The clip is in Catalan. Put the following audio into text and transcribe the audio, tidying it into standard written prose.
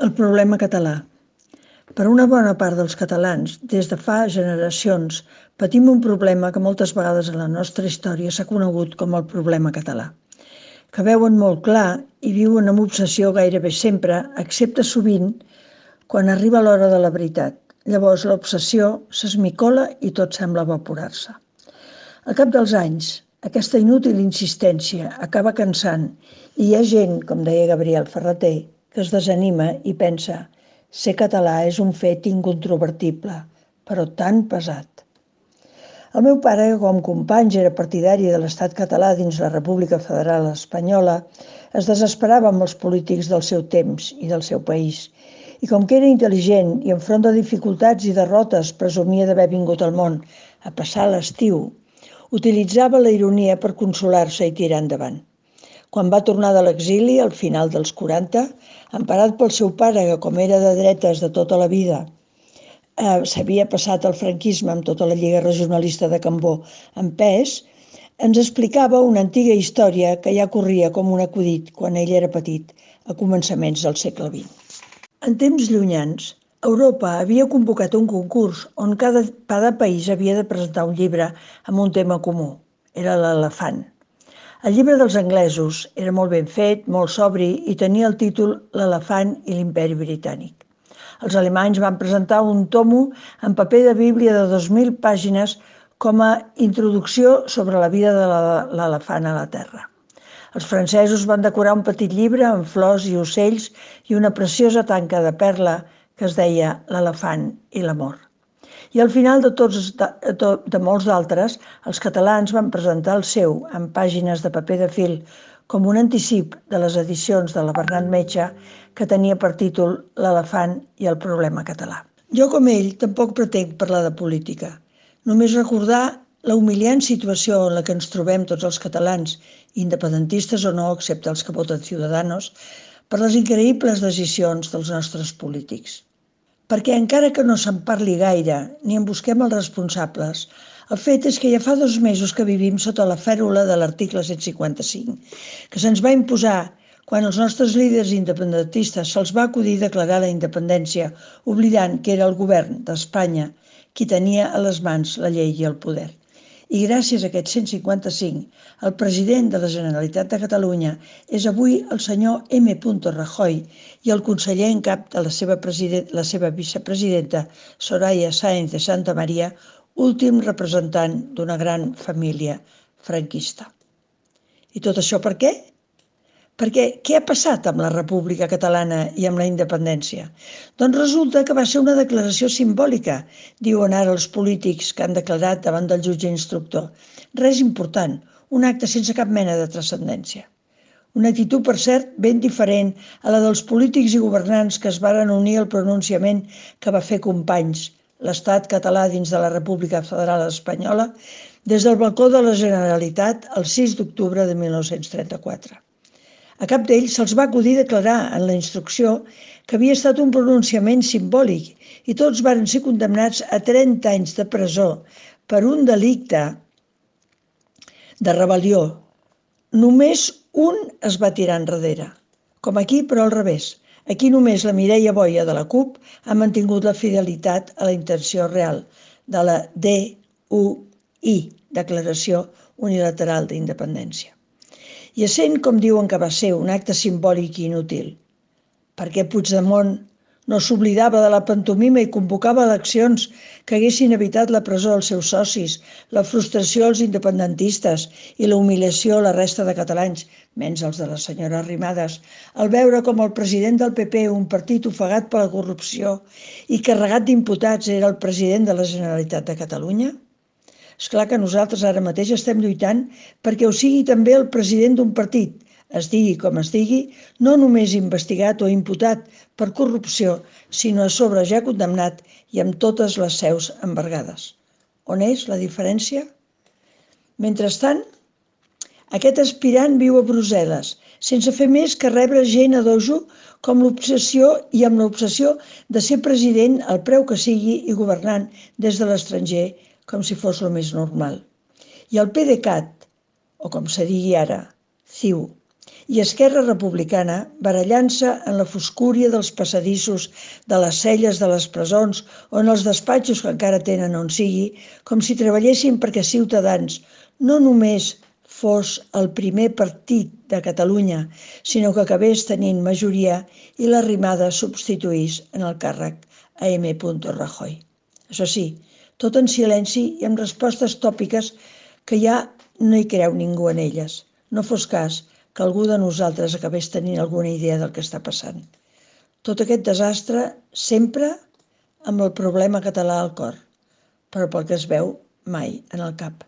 El problema català. Per una bona part dels catalans, des de fa generacions, patim un problema que moltes vegades en la nostra història s'ha conegut com el problema català, que veuen molt clar i viuen amb obsessió gairebé sempre, excepte sovint quan arriba l'hora de la veritat. Llavors l'obsessió s'esmicola i tot sembla evaporar-se. Al cap dels anys, aquesta inútil insistència acaba cansant i hi ha gent, com deia Gabriel Ferrater, que es desanima i pensa: ser català és un fet incontrovertible, però tan pesat. El meu pare, que com companys era partidari de l'estat català dins la República Federal Espanyola, es desesperava amb els polítics del seu temps i del seu país. I com que era intel·ligent i enfront de dificultats i derrotes presumia d'haver vingut al món a passar l'estiu, utilitzava la ironia per consolar-se i tirar endavant. Quan va tornar de l'exili, al final dels 40, emparat pel seu pare, que com era de dretes de tota la vida, s'havia passat el franquisme amb tota la Lliga Regionalista de Cambó en pes, ens explicava una antiga història que ja corria com un acudit quan ell era petit, a començaments del segle XX. En temps llunyans, Europa havia convocat un concurs on cada país havia de presentar un llibre amb un tema comú. Era l'elefant. El llibre dels anglesos era molt ben fet, molt sobri i tenia el títol L'elefant i l'imperi britànic. Els alemanys van presentar un tomo en paper de bíblia de 2.000 pàgines com a introducció sobre la vida de l'elefant a la Terra. Els francesos van decorar un petit llibre amb flors i ocells i una preciosa tanca de perla que es deia L'elefant i l'amor. I al final de molts d'altres, els catalans van presentar el seu en pàgines de paper de fil com un anticip de les edicions de la Bernat Metge que tenia per títol L'elefant i el problema català. Jo, com ell, tampoc pretenc parlar de política. Només recordar la humiliant situació en la que ens trobem tots els catalans, independentistes o no, excepte els que voten Ciudadanos, per les increïbles decisions dels nostres polítics. Perquè encara que no se'n parli gaire ni en busquem els responsables, el fet és que ja fa 2 mesos que vivim sota la fèrula de l'article 155, que se'ns va imposar quan als nostres líders independentistes se'ls va acudir declarar la independència, oblidant que era el govern d'Espanya qui tenia a les mans la llei i el poder. I gràcies a aquest 155, el president de la Generalitat de Catalunya és avui el senyor M. Rajoy i el conseller en cap de la seva vicepresidenta, Soraya Sáenz de Santamaría, últim representant d'una gran família franquista. I tot això per què? Perquè què ha passat amb la República Catalana i amb la independència? Doncs resulta que va ser una declaració simbòlica, diuen ara els polítics que han declarat davant del jutge instructor. Res important, un acte sense cap mena de transcendència. Una actitud, per cert, ben diferent a la dels polítics i governants que es varen unir al pronunciament que va fer Companys, l'estat català dins de la República Federal Espanyola, des del balcó de la Generalitat el 6 d'octubre de 1934. A cap d'ells se'ls va acudir declarar en la instrucció que havia estat un pronunciament simbòlic i tots varen ser condemnats a 30 anys de presó per un delicte de rebel·lió. Només un es va tirar enrere, com aquí però al revés. Aquí només la Mireia Boia de la CUP ha mantingut la fidelitat a la intenció real de la DUI, Declaració Unilateral d'Independència. I essent, com diuen que va ser, un acte simbòlic i inútil, perquè Puigdemont no s'oblidava de la pantomima i convocava eleccions que haguessin evitat la presó als seus socis, la frustració als independentistes i la humiliació a la resta de catalans, menys els de la senyora Arrimadas, al veure com el president del PP, un partit ofegat per la corrupció i carregat d'imputats, era el president de la Generalitat de Catalunya? Esclar que nosaltres ara mateix estem lluitant perquè ho sigui també el president d'un partit, es digui com es digui, no només investigat o imputat per corrupció, sinó a sobre ja condemnat i amb totes les seus embargades. On és la diferència? Mentrestant, aquest aspirant viu a Brussel·les, sense fer més que rebre gent a dojo amb l'obsessió de ser president al preu que sigui i governant des de l'estranger com si fos el més normal. I el PDeCAT, o com se digui ara, CiU, I Esquerra Republicana, barallant-se en la foscúria dels passadissos, de les celles de les presons o en els despatxos que encara tenen on sigui, com si treballessin perquè Ciutadans no només fos el primer partit de Catalunya, sinó que acabés tenint majoria i l'arrimada substituís en el càrrec a M. Rajoy. Això sí, tot en silenci i amb respostes tòpiques que ja no hi creu ningú en elles. No fos cas que algú de nosaltres acabés tenint alguna idea del que està passant. Tot aquest desastre sempre amb el problema català al cor, però pel que es veu mai en el cap.